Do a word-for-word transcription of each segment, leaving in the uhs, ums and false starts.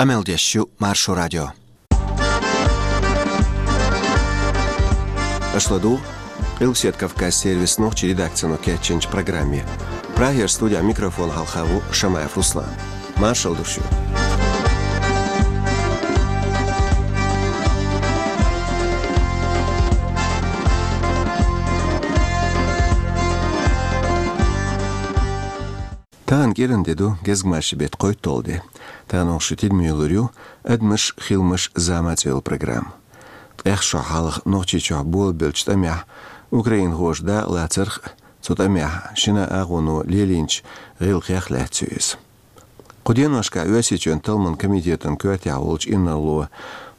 Къамел деш ю Маршо радио. Аша ладугӀу Къилбаседа Кавказ сервисан нохчийн редакцино кечйинчу программе. Прагера студехь микрофон хьалха ву Шамаев Руслан. Маршалла ду шуьга. Тахана кӀиран де ду, гезгмашин беттан кхойтталгӀа де. Тахана оха шун тидаме йиллар ю «Адамаш, хиламаш, зама» цӀе йолу программа. ТӀех шо хьалха Нохчийчохь болабеллачу тӀамехь украинхоша дакъалацарх а, цу тӀамехь шина агӀоно лелийначу гӀиллакхех лаьцна ю иза. Кху деношкахь Оьрсийчоьнан талламан комитетан коьртехь волчу инарло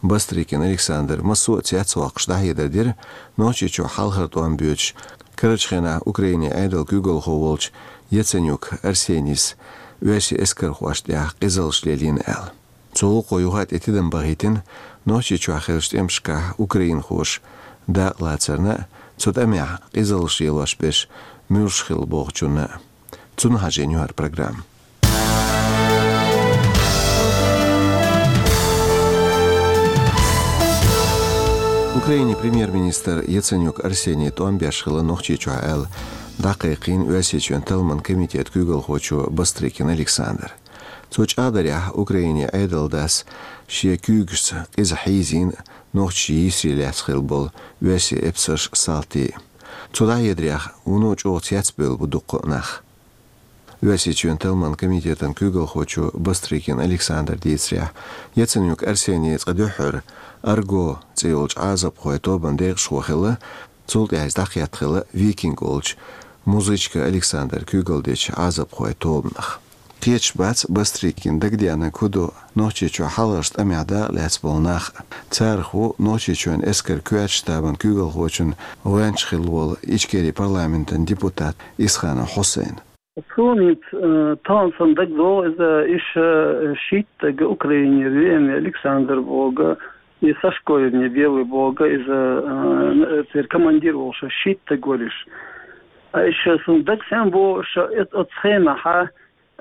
Бастрыкин Александра массо а цецвоккхуш дӀахьедар дира, Нохчийчохь хьалхара тӀом боьдуш, карарчу хенахь Украинин Ӏедалан куьйгалхо волчу Яценюк Арсенис оьрсийн эскархошна тӀехь къизаллаш лелийна аьлла. Цу гӀуллакхо юха а тӀе тидам бахийтина Нохчийчохь хиллачу тӀемашкахь украинхоша дакъалацарна а, цу тӀамехь къизаллаш лелош берш муьлш хилла бохучунна а. Цунна хьажийна ю хӀара программа. Украинин премьер-министр Яценюк Арсений тӀом беш хилла Нохчийчохь аьлла, дӀакхайкхийна Оьрсийчоьнан талламан комитетан куьйгалхочо Бастрыкин Александра. Цо чӀагӀдарехь, Украинин Ӏедалан дас шен куьйгашца къиза хьийзийна нохчийн йийсаре лаьцна хилла болу оьрсийн эпсарш, салтий. Цо дӀахьедарехь, вуно чӀогӀа цецбевлла бу дуккха а нах. Оьрсийчоьнан талламан комитетан куьйгалхочо Бастрыкин Александра дийцарехь, Яценюк Арсений цкъа дуьххьара «Арго» цӀе йолчу Ӏазапхойн тобанан декъашхо хилла, цул тӀаьхьа иза дӀакхетта хилла «Викинг» олучу Музычка Александра куьйгалла дечу Ӏазапхойн тобанах. Кхеташ бац Бастрыкина дагадеанарг хӀун ду Нохчийчохь хьалхарчу тӀамехь дакъалаьцна болу нах. Царах ву Нохчийчоьнан эскаран коьртачу штабан куьйгалхочун гӀоьнча хилла волу Ичкерин парламентан депутат Исханов Хьусайн. Суна, э, тахана санна дагадогӀу иза, иша, э, шийтта стаг Украинера веана Александр боху, и Сашко вернее белый боху, иза, э, церан командир волуш, шийтта стаг вара иша. А иша суна дагахь санна боху, иша, э, оцу хенахь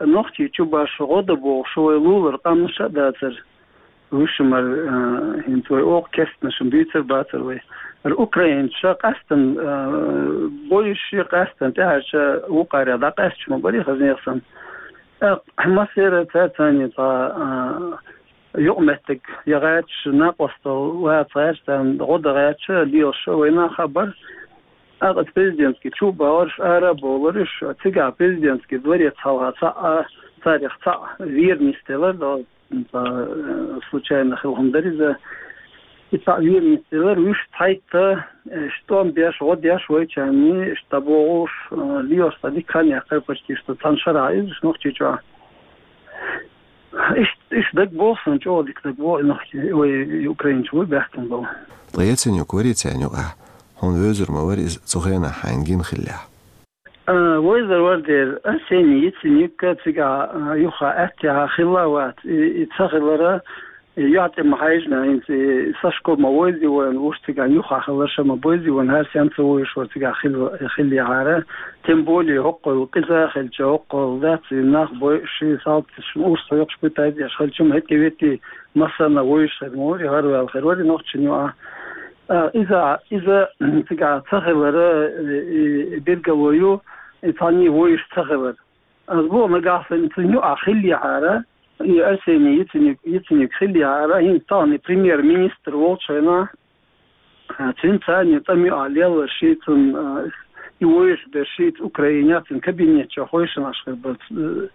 Нохчийчу баш гӀо дан бохуш вай лулара къаьмнаш а дацара. Вуьшта мара, а, хӀинца вай оха керстанашна дуьйцур бацара вай. Ара украинцаша къаьстина, а, бойуш, къаьстина тӀаьхьарчу вукхарех дӀакъаьсташ ма барий, хаза нехан санна. ТӀаккха массеран цаьрца цхьаьна цхьа, а, юкъаметтиг я гӀерташ, накъосталла ваца гӀерташ, царна гӀо дан гӀерташ, лелаш вай нах а бара. ТӀаккха оцу президентский чу а бахарш, ара а бовларш, цигахь президентский дворец хьалха цхьаъ, царех цхьаъ вера нисделира, цхьа, э, случайно хилла хӀума дара иза. И цхьаъ вера нисделира, вуьшта цхьайтта, э, тӀом беш, гӀо деш вайчарна, иштта дӀабохуш, э, лелаш цхьа дика хан яьккхира почти что цхьана шарахь иза Нохчийчохь. Иштта, иштта дагабогӀу суна, чӀогӀа дика дагабогӀу, и нохчий, вай, и украинцаш вуй баьхкина болу. Ткъа Яценюк варий царна юкъахь? Хьуна вевзар ма вара иза цу хенахь хьайна гина хиллехь? А, вевзар вара дера, Арсений Яценюк цигахь, а, юха аьттехьа хилла а вац. И, и ца хилара, и юьхь тӀе ма хьаьжна, хӀинца и Сашко ма вевзий вайна, уьш цигахь юха хиларш а ма бевзий вайна, хӀара стенна ца вевзаш вара цигахь хилла, хиллехьара. Тем более хӀокхул къиза хилча, хӀокхул дац, и нах бойуш, ши салташ, урс хьоькхуш, пытайтӀеш хилча, ма хӀетте веттий, массарна вевзаш хир ма вара, хӀара ваьлла хир вара, и нохчийн юкъахь. А, иза, иза цигахь ца хилара, и, и билгало ю, и цхьанний вевзаш ца хилар. Ас боху, нагахь санна цуьнан юкъахь хиллехьара, и Арсений Яценюк, Яценюк хиллехьара, хӀинца тахана премьер-министр волчу хенахь, а, цуьнан царна тӀам юкъахь лелларш, цуьнан, а, и вевзаш берш, цу Украинехь, цуьнан кабинет чохь вевзаш хир бара, э,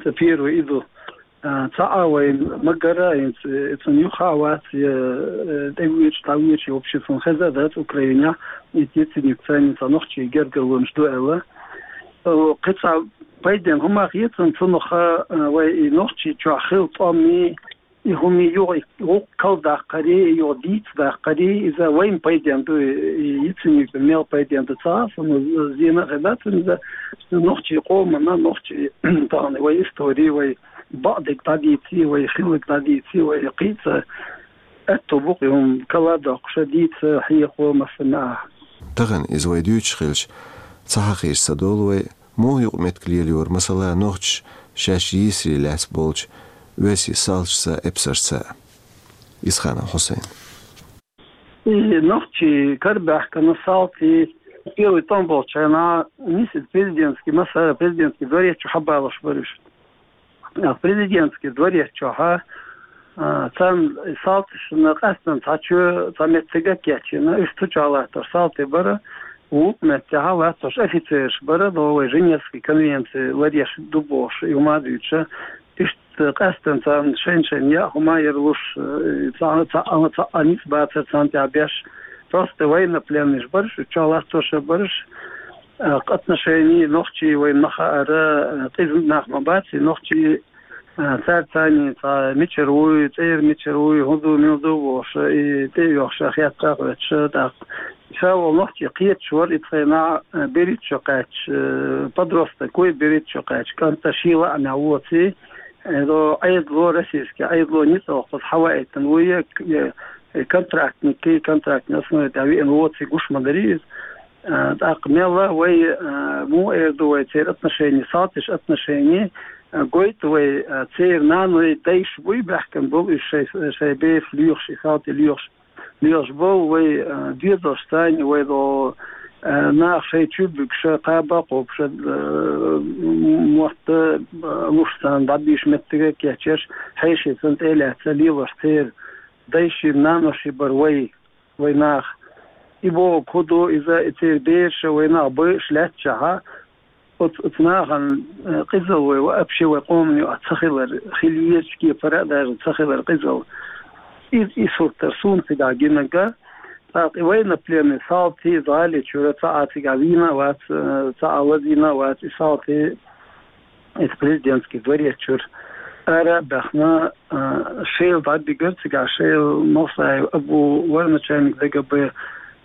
цу первый и ду. А, цхьа а вайна ма гара, хӀинца, э, цунна юха а вац, я, э, тӀевоьдуш, дӀавоьдуш, я вообще цунна хеза а дац Украинехь, и Яценюк царна цхьа нохчийн гергарлонаш ду аьлла. Э, кхин цхьа пайденна хӀума хета цунна, цунах, э, вай и Нохчийчохь хилла тӀом, и хӀума юха, и гӀуллакх кхалдаккхаре, и юха дийца даккхаре, иза вайна пайденна ду, и Яценюкна мел пайденна ду ца хаьа суна, зена а хир дац цунна иза, нохчийн къомана, нохчийн тахана вай истори, вай бакъдерг дӀадийций, вай хилларг дӀадийций, вай кхин цхьа аьтто бу-кх и хӀума кхалдоккхуш а, дийца, хьехо, массарна а. Тахана иза вай дуьйцуш хилча, ца хьахийча ца долу вай, муха юкъаметтиг лелайора, масала, нохчаша шаьш йийсаре лаьцна болчу весий салташца, эпсарца. Исханов Хьусайн. И нохчий карабаьхкина салти первый тӀом болчу хенахь нисса президентский массара, президентский дворец чу хьабалуш бара уьш. А президентский дворец чохь, а, царна салташна къаьстина цхьа чу, цхьа меттиг а кечйина, уьш цу чохь латтош салти бара, вукху меттехь латтош офицераш бара, но вай Женевский конвенци ларъеш ду бохуш, и хӀума а дуьйцуш, иштта къаьстина царна шайн-шайн яа хӀума яр луш, э, цхьа, цхьа, цхьа, цхьа а ницкъ бацара царна тӀехь беш. Просто военнопленныйш бара уьш, чохь латтош а бара уьш, э, отношений нохчий вайна ма хаара, э, къиза нах ма бац и нохчий, э, цаьрца цхьаьний цхьа мичара вуй, цӀера мичара вуй, хӀун ду, мила ду бохуш, и тӀе а йохуш, хетта а хоьттуш, тӀаккха ша волу нохчий кхеташ вара и цхьа хенахь, э, берхӀитта шо кхаьчча, э, подросток вуй, берхӀитта шо кхаьчча, кӀант а шен лаамехь воций, э, до Ӏедало, российский Ӏедало ницкъ йоккхуш хьаваийтина вуй, э, э, контрактникий, контрактный основе тӀехь веана воций, гуш ма дарий иза. Э, тӀаккха мелла вай, э, муха эр ду вай церан отношений, салташна отношений, э, гойту вай, э, церан наной, дайша буй баьхкина болу уьш шайн, шайн бераш лоьхуш, и салти лоьхуш, лоьхуш болу вай, э, доьзалш царна, вай до, э, нах шайн чу буьгуш, кхаба а кхобуш, э, м-, мотт а, э, луш царна дӀабийша меттиг а кечъеш, хьеший санна тӀе а лаьцна лелош церан дайший, наноший бара вай, вай нах. И бохург хӀун ду, иза и церан бераш а вай нах байъуш лаьттачохь, оцу, оцу нахана, э, къизалла вай, вообще вай къоман юкъахь ца хилар, хила езачу кепара а даже ца хилар къизалла. И, и сурт дара суна цигахь гинарг. ТӀаккха и военнопленный салти, иза гӀали чуьра цхьа а цигахь вийна а вац, э, цхьа а лазийна а вац, и салти, иза президентский дворец чуьра ара а баьхна, э, шайла дӀабигар цигахь, шайла Мовсаев Абу вара начальник ДГБ,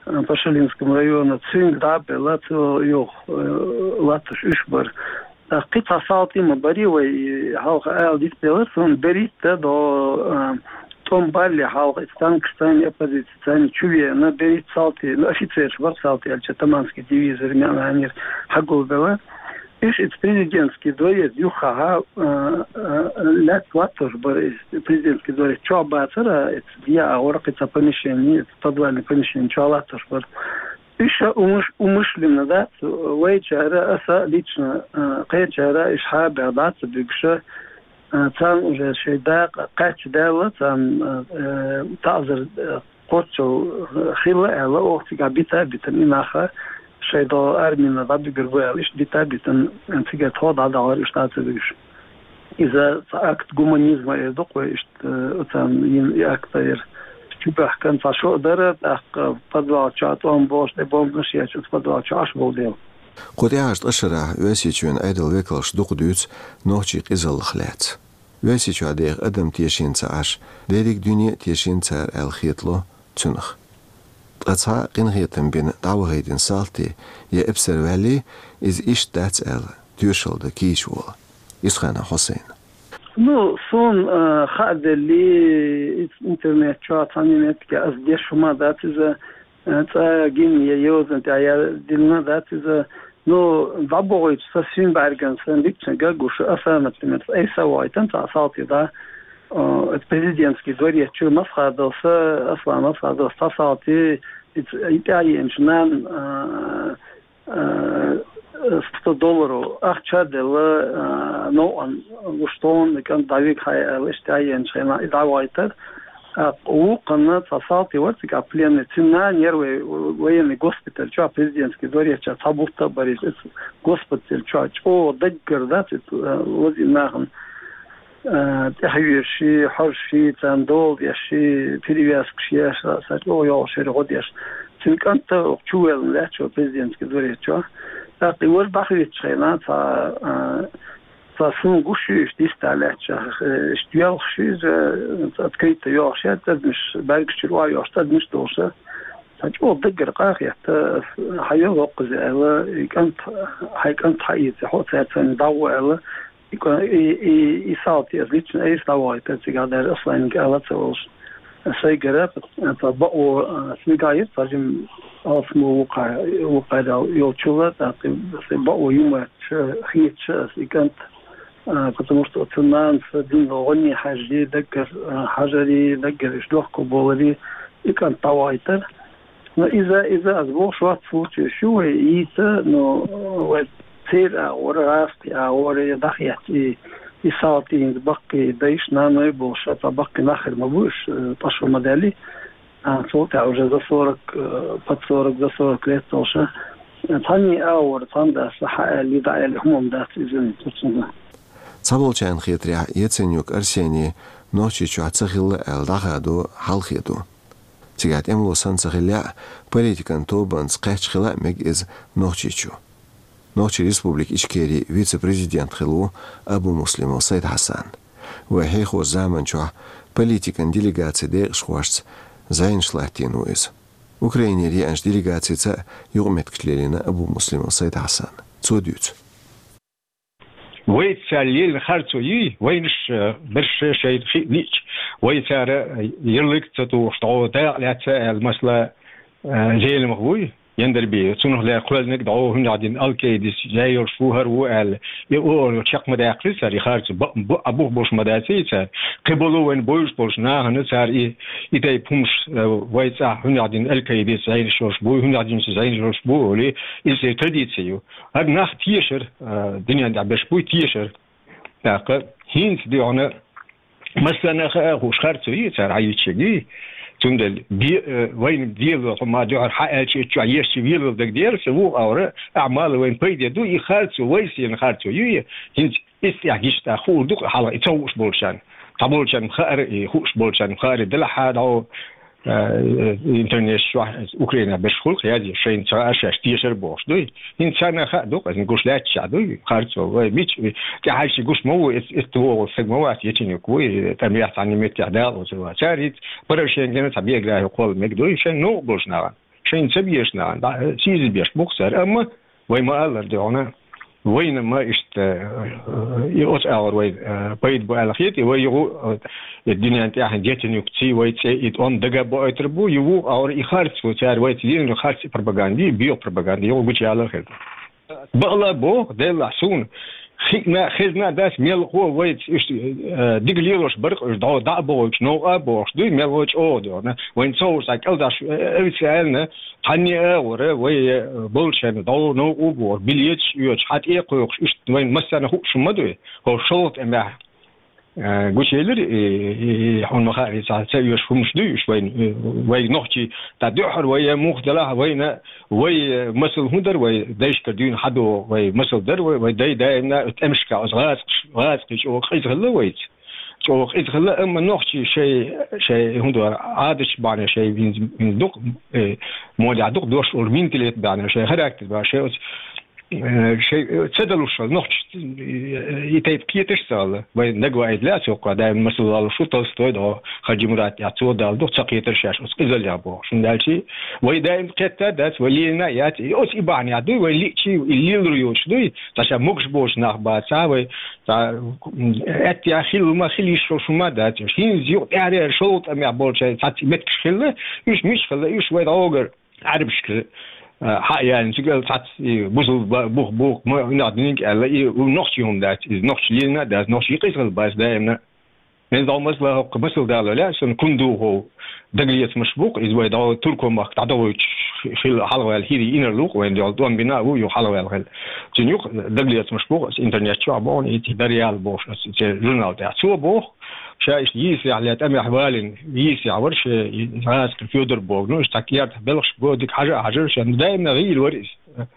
э, Пашалинскому району, цуьнга дӀа а белла, цо юха, э, латтош уьш бара. ТӀаккха кхин цхьа салти ма барий вай, и хьалха ала дицделира, суна берхӀитта до, э, тӀом балле хьалха, и танкаш царна, оппозици царна чу веана, берхӀитта салти, ну, офицераш бара салти аьлча, Таманский дивизера, мел хьанера хьагулбелла. Уьш иза президентский дворец юххехь, э, э, лаьцна латтош бара иза, президентский дворец чохь бацара, иза яа гӀора кхин цхьа помещение, иза подвальный помещение чохь латтош бара. Уьш а умыш-, умышленно дац, вайчара, аса лично, э, кхечара, уьш хьа а баьхна, дӀа а ца буьгуш, э, царна уже шайн дакъа кхаьчча даьлла, царна, э, таӀзар, э, кхоччалла хилла аьлла, оха цигахь бита а битина и нах, шайн до армина дӀабуьгур бу аьлла, иштта бита а битина, цигара тхо дӀадахьара, уьш дӀа а ца буьгуш. Иза цхьа акт гуманизма эр ду-кх вай, иштта, э, оцарна йина и акт а яра. Чу баьхкина цхьа шо а дара, тӀаккха подвал чохь тӀом болуш, тӀе бомбанаш ечу, оцу подвал чохь Ӏаш болу дела. Кху тӀаьхьарчу ткъа шарахь Оьрсийчоьнан Ӏедалан векалша дукха дуьйцу нохчийн къизаллах лаьцна. Оьрсийчохь деха адам тешийна ца Ӏаш, дерриг а дуьне тешийна цара аьлла хетало цунах. Ткъа цхьа къинхетам бина дӀавахийтина салти я эпсар ваьллий, иза иштта дац аьлла, тоьшалла дан кийча волу Исханов Хьусайн. Ну, суна, э, хаа делли, иза интернет чохь цхьана меттиге аса деш хӀума дац иза, э, цӀа гина я йозанна тӀехь я диллина дац иза. Ну, дӀабохуьйтуш сан шина бӀаьргана сан дикачун гаг гуш, аса, например, айса а вахийтина цхьа салти, да, э, президентский дворец чуьра Масхадовс, Аслан Масхадовс цхьа салти, и ц-, и тӀаьхьа еанчу нана, э, э, сто долларов ахча а делла, э, новкъан гуш тхуна и кӀант дӀавига хьайа аьлла, иштта тӀаьхьа еанчу хенахь и дӀавахийтар. ТӀаккха вукханна цхьа салти вара цигахь пленный. Цуьнан нана яра вай военный госпиталь чохь, президентский дворец чохь цхьа бутт а бара иза. Иза госпиталь чохь чӀогӀа даггара дац иза, э, лазийна нахана, э, тӀаьхьавоьжуш, хьожуш, царна дола деш, перевязкаш еш, сан чӀогӀа йогӀуш яра гӀо деш. Цуьнан кӀант а чувоьллина лаьтташ вара президентский дворец чохь. ТӀаккха и важа дӀахӀоьттучу хенахь цхьа, э, цхьа суна гуш ю, иштта йиста лаьтташ, э, иштта йоьлхуш ю иза, э, открыто йогӀуш яра, цӀадмаш, бӀаьргаш чуьра охьайогӀуш цӀадмаш долуш. Цхьа чӀогӀа даггара къа а хетта, хьан йо воккхуза аьлла, и кӀант, хьайн кӀант хьаэца, хьо цаьрца дӀагӀо аьлла, и кӀа-, и, и, и салти аса лично айса дӀавахийтар цигахь, даже Асланга ала а ца волуш. Сайгара, цхьа бакъо, а, цигахь яра, цхьа жима алсамо вукхара, вукхара йолчул а, тӀаккха сайн бакъо юма ша хеташ аса и кӀант А, потому что оцу нанас дина гӀони хьажари, даггара, а, хьажари, даггара иштта дохко болари, и кӀант дӀавахийтар. Но иза, иза аз бохуш вац случай шу вай йийца, но вай церан агӀора, гӀазкхийн агӀора я дӀахетта и, и салтий хӀинца баккхий дайша, наной болуш, а цхьа баккхий нах хир ма бу уьш, э, тӀаьхьа ма даьлли. А, цул тӀаьхьа уже за сорок, э, под сорок, за сорок лет долуша. Цхьанний агӀора, цхьана дас хьааьлли, дӀааьлли хӀума дац иза, цуьнга. Цхьаболчарна хетарехь, Яценюк Арсений Нохчийчохь ца хилла аьлла дӀахадо хьалхе ду. Цигахь тӀемало санна ца хиллехь а, политикан тобанца кхаьчча хила а мега иза Нохчийчу. Нохчийн Республика Ичкерин вице-президент хилла ву Абумуслимов Сайд-Хьасан. Вай хьехорчу заманчохь политикан делегацин декъашхошца зӀенаш латтийна ву иза. Украинера еанчу делегацица а юкъаметтигаш лелийна Абумуслимов Сайд-Хьасана. Цо дуьйцу. Вайца цара лелийна харцо юй, вайнаш, э, берш шайна хи лиъча, вай цара, э, ярлык ца тухуш, дӀо дакъа лаьцна аьлла, масала, э, Зеламха вуй, Яндарбиев, цунах лаьцна кхоьллинарг дӀо хӀунда дина Аль-Каидас жай йолуш ву, хӀара ву аьлла. И оха чекх ма даьккхира цара, и харцо бу-, бу-, а бух болуш ма дац и цара. Кхин болу вайн бовзуш болчу нахана цара и, и тайпа хӀумаш, э, вай цӀахь хӀунда дина Аль-Каидас жайнаш йолуш бу, хӀунда дина цу жайнаш йолуш бу, олий, иза традици ю. ХӀара нах тешар, э, дуьнен тӀехь берш буй тешар. ТӀаккха хӀинца дуьхьана массарна а хаа хууш харцо йий цара хьан йичиг йий. Цундела де-, э, вайна дело хӀума дуьхьара хьан аьлча, итт чохь ешча велал дагадера, сан вукху агӀора, ахьа мала вайна пайде ду, и харцо, вай сена харцо ю, и хӀинца иза тӀехь гича тӀаккха хуур ду-кх хьалха, и ца хууш болчарна. Цхьаболчарна хаьара, и хууш болчарна хаьара, делахь а дӀо, э, интернет чохь Украина берш хуьлу-кх язъеш, шайна ца хаа шаьш тешар бохуш дуй. ХӀинца царна а хаа ду-кх, аса гуш лаьтташехь дуй, харцо, вай мича, тӀаьхьарчий гуш ма ву, эц-, эцна вогӀу стаг ма вац, Яценюк вуй, тӀамехь цхьана метте дакъа лоцур вац. Цара хӀинца Порошенкона цхьа биографи кхолла мега дуй, шайн новкъа болчу нахана. Шайна ца безаш нахана, дӀа-, сийза беш бу-кх цара, амма вай ма-аллара дуьхьана, вайна ма иштта, э, и оцу агӀор вай, э, пайда бу аьлла хета, и вай юху, э, и дуьнен тӀехь Яценюкций вай цӀе и тӀом дага а боуьйтур бу, и вукху агӀор и харц ву цара вайца дийна харц и пропаганда, и боьха пропаганда, юху гучуялар хир ду. Бакъала боху, деллахь суна, хиъна а, хезна а дац, мелхо вайца иштта, э, дика лелош бара-кх уьш, дӀо дӀа а бохуьйтуш, новкъа а бохуш дуй, мелхо чӀогӀа дуьхьана. Вайна ца хууш цхьа кӀалдаш, э, официально, цхьанне а агӀора, вай, э, болчарна дӀо новкъа а бохуш, билеташ а оьцуш, хьан тӀе а кхойкхуш, иштта вайна массарна хууш хӀума дуй, хӀокху шолгӀа тӀамехь, э, гучуелира, и, и, и, хьуна ма хаьара, цхьа ца оьшуш хӀумаш дуй уьш вайна, э, вай нохчий, тӀа дуьххьара вай, э, муха делахь а вайна, вай, э, масал хӀун дара, вай дайшкара дуьйна хьадогӀу, вай масал дара вай, вай дай даимна тӀемашка оцу гӀазкхаш-, гӀазкхий чӀогӀа къиза хилла вайца. ЧӀогӀа къиза хилла, амма нохчий шай, шай хӀун дара, Ӏадаташ бахьана шай винз-, винз дукха, э, модехь дукха дош олу менталитет бахьана, шай характер бахьана, шай оцу, э, шай, э, ца далуш хилла, нохчаш, э, и тайпа кхеташ ца хилла. Вай нагва айда лаьа цо кхо, даим масал лалуш ву Толстой дӀо, Хаджимурат тӀехь цо дала дукха ца кхетар шаьш оцу къизаллех бохуш. ХӀунда аьлча вай даим кхетта а дац, вай лелийна а яц, и оцу и бахьана яц дуй, вай лиъчий, и лелар йоцуш дуй, цхьа ша могуш боцу нах бац, цхьа вай Цхьа, м, аьттехьа хилла ма хила йиш йолуш хӀума дац уьш. ХӀинца юкъа тӀаьхьарера шолгӀа тӀамехь болчу цхьацца меттигаш хилла, уьш мича хилла, уьш вай дӀогара Ӏарбашка, а, хьа а яьлла, цигара цхьацца и бусалба ба-, бух, бух, ма, нах диниг аьлла, и у нохчий хӀума дац, иза нохчий лелийна а дац, нохчий къиза хила бац даимна. Мен дӀо масала хӀокху масал дала лаьа, сан кун духу дагалецамаш бу-кх, иза вай дӀо Турко-махка дӀадовуьйтуш хила хьалхаваьлла хӀирий инарлугӀу, вайн дӀо тӀом бина а ву, юха хьалхаваьлла хила. Цуьнан юкъа дагалецамаш бу-кх, аса интернет чохь боху, и Дарьяла бохуш, аса церан журнал тӀехь. Цо боху, ша иштта йийсарехь ле тӀамехь валийна, йийсарехь вара ша, и гӀазкхи Федор боху. Ну, иштта кертахь белхаш го, дика хьажа а хьажара ша, ну, даимна гӀийла вара иза.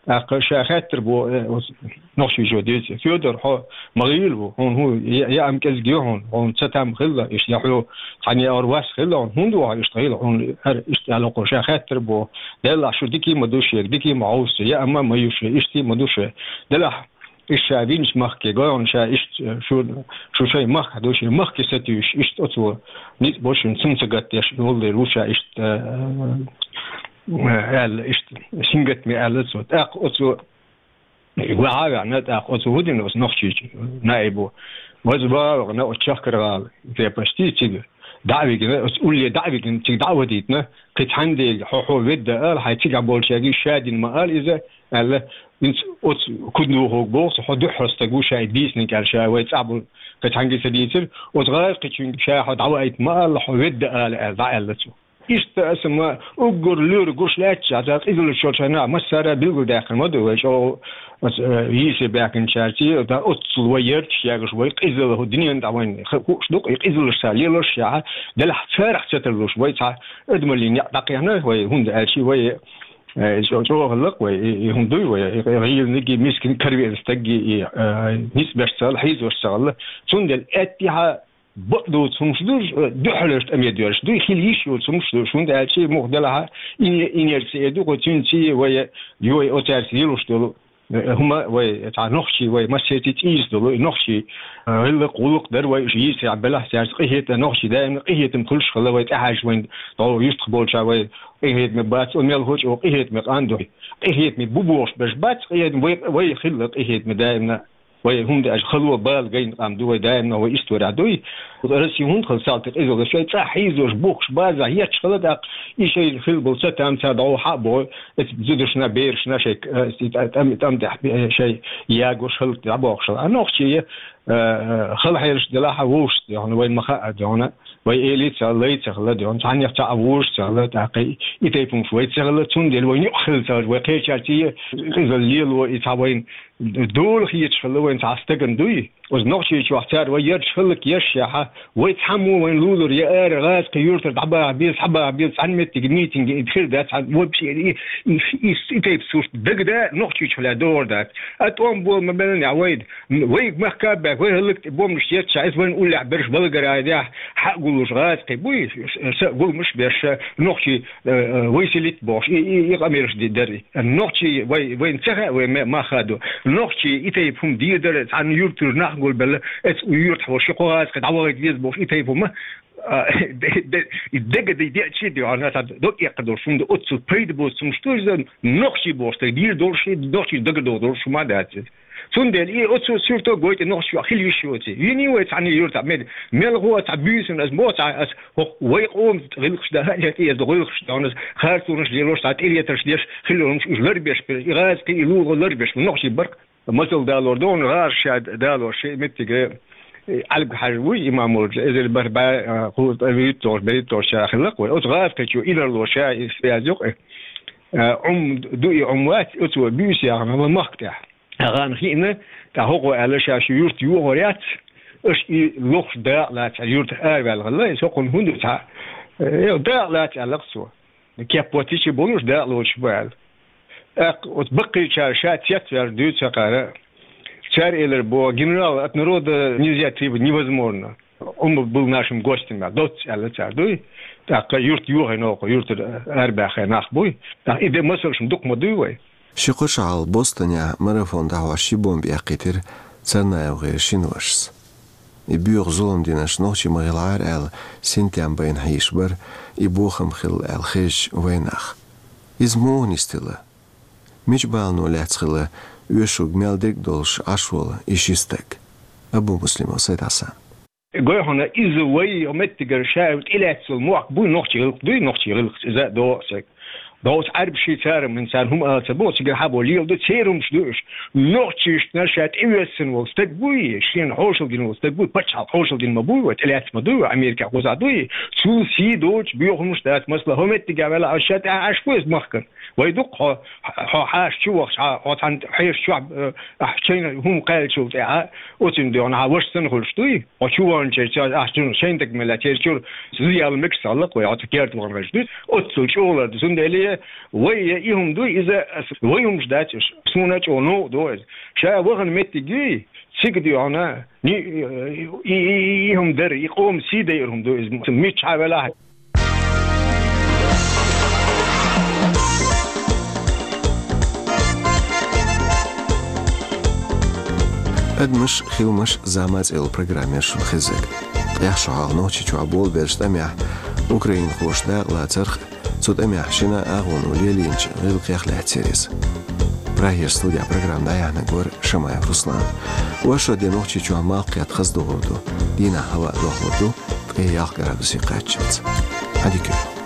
ТӀаккха ша хаьттар боху, э, оцу нохчийчо дийцира: «Федор, хьо ма гӀийла ву, хьуна хӀун, я, я ам кӀезиг ю хьуна, хьуна ца там хилла, иштта я хьо цхьана я ор вас хилла хьуна, хӀунда ву хьо иштта гӀийла хьуна?» ХӀара иштта аьлла кхо, ша хаьттар боху: «Деллахь, шу дика ма ду шега, дика ма хьовса, я ам ма ю шу, иштта ма ду шу. Делахь, иштта ша винчу махке гойхьуна, ша иштта шу, шу шайн махкахь ду, шайн махке сатуьйсуш, иштта оцо ницкъ бо шуна, цунна ца гатдеш, и гӀуллера ву ша иштта, э, э, аьлла, иштта сингаттаме аьлла цо». ТӀаккха оцо ваьхьа а ваьхьна, тӀаккха оцу хӀун дина оцу нохчийчу наибо? Ваза вагӀа вахана оцу Чахкаргала крепостий цига. ДӀа а вигина, оцу улле дӀа а вигина, цига дӀа а вадийтина, кхин цхьана дела, хьо, хьо ведда ала, хьайн цигахь болчаьрга шадина ма ала иза, аьлла, хӀинца оцу куьднохуг боху, хьо дуьххьара стаг ву, ша и дийцинарг аьлла, ша вай цӀахь болу кхин цхьаьнгге ца дийцира, оцу гӀазкхичуьнга ша хьо дӀаваийта ма ала, хьо ведда ала аьлла, дӀа аьлла цо. Иштта аса ма уггар лоьрах гуш лаьттачохь, цара къизаллаш йолчохь нах массара а билгалдаьккхина ма ду вай, чӀогӀа оцу, э, йийсар баьхкинчаьрца, да, оццул вай ярташ ягаш, вай къизалла хӀу дуьненна тӀехь вайна ха-, хууш ду-кх, и къизаллаш ца лелош яхьа, делахь царах ца тарлуш, вай цхьа адамаллин некъ дӀакхехьна, вай хӀунда аьлча вай, э, чӀо-, чӀогӀа хӀаллакх вай, и, и хӀума дуй вай, и гӀийланиг, и мискин каравеана стаг, и, э, ницкъ беш ца хилла, хьийзош ца хилла. Цундела аьттехьа бакъ доцу хӀумаш ду, дуьххьарлерчу тӀаме доьрзуш ду, хила йиш йолчу хӀумаш ду, хӀунда аьлча муха делахьа, и, и нерча эр ду, кху цуьнца вай, йой, оцаьрца лелош долу, э, хӀума вай, цхьа нохчий вай, массерти цӀийца долу, и нохчий, э, гӀиллакх, гӀуллакх дара вай, уьш йийцарехь белахь цаьрца къинхетам, нохчий даимна къинхетам хуьлуш хилла вай, тӀаьхьаьжча вайн догӀу юьртах болча вай къинхетаме бац, о мел хӀоча о къинхетаме къан ду. Къинхетаме бу бохуш берш бац, къинхетаме вай, вай хилла къинхетаме даимна. Вай хӀунда аьлча хало бала гайна къам ду, вай даимна вай исторехь дуй. Россия хӀунда хилла салтий къизаллаш, шайн цӀахь хьийзош, бухкуш, базахь етташ хилла тӀаккха, и шайна хилла болу ца там ца дӀо хьа а боху, эцу зудашна, берашна шайн, э, тӀам, тӀам тӀехь, э, шайн ягош хӀаллак дӀабохуш хилла. А нохчий, э, э, хала хьелаш делахь а вовшашца дуьхьал, вайн ма хаъа дуьхьал, вай элий ца хилла, лай ца хилла дуьхьал, цхьаннех цхьаъ вожаш ца хилла, тӀаккха и тайпа хӀумаш вай ца хилла, цундела вай юкъа хилла ца хилла, вай кхечаьрца и къизалла лело, и цхьа вайн дола хеташ хилла вайн цхьа стагана дуй. Оцу Нохчийчохь цара вай ярташ хӀаллакъеш яхьа, вай цхьаммо вайн лулара я ара гӀазкхи юьртара дӀабаха беза, схьабаха беза, цхьана меттиге митинге и хир дац, цхьана вобчи и, и, и, и тайпа сурт дагада Нохчийчохь лаьа догӀур дац. А тӀом бола ма беллинехь вайна, вайга махка а баьхка, вай хӀаллакдӀа бомбанаш еттачохь, иза вайн уллехь берш балгара а дехь, хьа а гуллуш гӀазкхи буй, са а гуламаш а беш, нохчий, э, э, выселить бохуш, и, и, и къамелаш ди-, дара. Нохчий вай, вайна ца хаьа, вай ме-, мах а ду. Нохчий и тайпа хӀума дийр дара, цхьана юьртара нах гулбелла, эцу юьртахь волу ши кхо гӀазкхи дӀавахийта веза бохуш, и тайпа хӀума, а, де-, де-, и дагадеъча а дуьхьал, цхьа дог эккха долуш хӀума ду, оццул пайда боцу хӀумаш ду иза, нохчий бохуш, тӀе дийр долуш, и нохчий дагадогӀу долуш хӀума дац иза. Цундела и оцу суьрто гойту нохчо хила йиш йоций. Вини вай цхьана юьртахь мед-, мелхо а цхьа буьйсанна ас боху, цхьа ас хӀокху вай къоман гӀиллакхаш дан а летта, иза гӀиллакхаш дан ас харцонаш лелош, цхьа тӀелетарш деш, хила йолуш уьш ларбеш, и гӀазкхи, и лулахо ларбеш, нохчий баркъ. Масал далор ду, гӀазкхи ша далор, шен меттиге, э, Ӏаьлбиг-Хьаьжа вуй имам волчу, эзар бархӀ бӀе, а, кхузткъе вуьрхӀитталгӀа, берхӀитталгӀа ша хиллакх вай. Оцу гӀазкхичо инарло ша и связь йокъу, а, Ӏум ду и Ӏум вац, оцо буьйса яхана ван махка тӀехь. ТӀаккха хиъна, тӀаккха хӀокхо аьлла, ша шун юрт йохор яц, аша и лохуш дакъа лаца, юртах араваьлла хилла, иза хӀокхунна хӀунда ду цхьа, э, дакъа лаца аьлла-кх цо. Кеп боцийча болуш дакъа лоцуш бу аьлла. ТӀаккха оцу баккхийчара ша цецваьлла дуьйцу хӀокхара. Цара элира боху, генерал, от народа нельзя требовать, невозможно. Ӏумма был нашим гостем, аьлла, доцца аьлла цара дуй. ТӀаккха юрт йохийна оха, юртара арабаьхна нах буй. ТӀаккха и де масалш дукха ма дуй вай. Ши кхо шо хьалха Бостонехь марафон дӀахьош ши бомба эккхийтира Царнаевгара шина вашас. И боьха зулам динарш нохчий ма хилахьара аьлла, синтем байна хьийзаш бара, и бохам хилла аьлла хезча вайнах. Иза муха нисделла? Мича балано лаьцна хилла оьшург мел дерг долуш Ӏаш волу и ши стаг? Абумуслимов Сайд-Хьасан. Гой хьуна, иза вай меттигара ша тӀелаьцна йолу мохк буй, нохчий гӀиллакх дуй, нохчий гӀиллакх иза догӀу аса. Доцу Ӏаьрбаший цара, мин царна хӀума ала ца боху, цигара хьабо лела ду, церан хӀумаш ду уьш. Нохчашна ша тӀевоьссина волу стаг буй, шена хьошалла дина волу стаг буй, пачхьалкх хьошалла дина ма буй, вай тӀелаьцна ма дуй, вай Америкехь кхузахь дуй, цул сий доцуш боьха хӀумаш дац, масала, хӀо меттигехь велахь, ша тӀаьхьа Ӏаш бу иза махкана. Вай дукха хьо, хьо хьаша чу вахча, хьо, хьо цхьана хьешачохь, э, ахь чайна хӀума кхаьллачул тӀаьхьа, оцунна дуьхьал хьан ваша санна хуьлуш дуй? Хьо чу ваханчерча, ахь чуьра шайн дага мел лаьцна, церан чуьра зуда яла мегаш ца хилла-кх вай, хьо цу керта вахана хилча дуй? Оццул чӀогӀа лар ду. Цундела вай и хӀума дуй, иза ас вай хӀумаш дац уьш. Суна чӀогӀа новкъа ду иза. Ша вахана меттиг юй, цига дуьхьал, ни-, и, и, и, и хӀума дара, и къоман сий дайар хӀума ду иза. Миччахьа велахь. «Адамаш, хиламаш, зама» цӀе йолу программера шуна хезнарг. ТӀаьххьара шо хьалха Нохчийчохь болабеллачу тӀамехь украинхоша дакъа лацарх, цу тӀамехь шина агӀоно лелийначу гӀиллакхех лаьцна яра иза. Прагера студехь программа дӀаяьхьнарг вара Шамаев Руслан. Оршот де Нохчийчохь малх кхетта хаза догӀур ду. Дийнахь хӀаваъ дохлур ду, ткъа Э, ялх градусын кхаьччалца. Хьадика.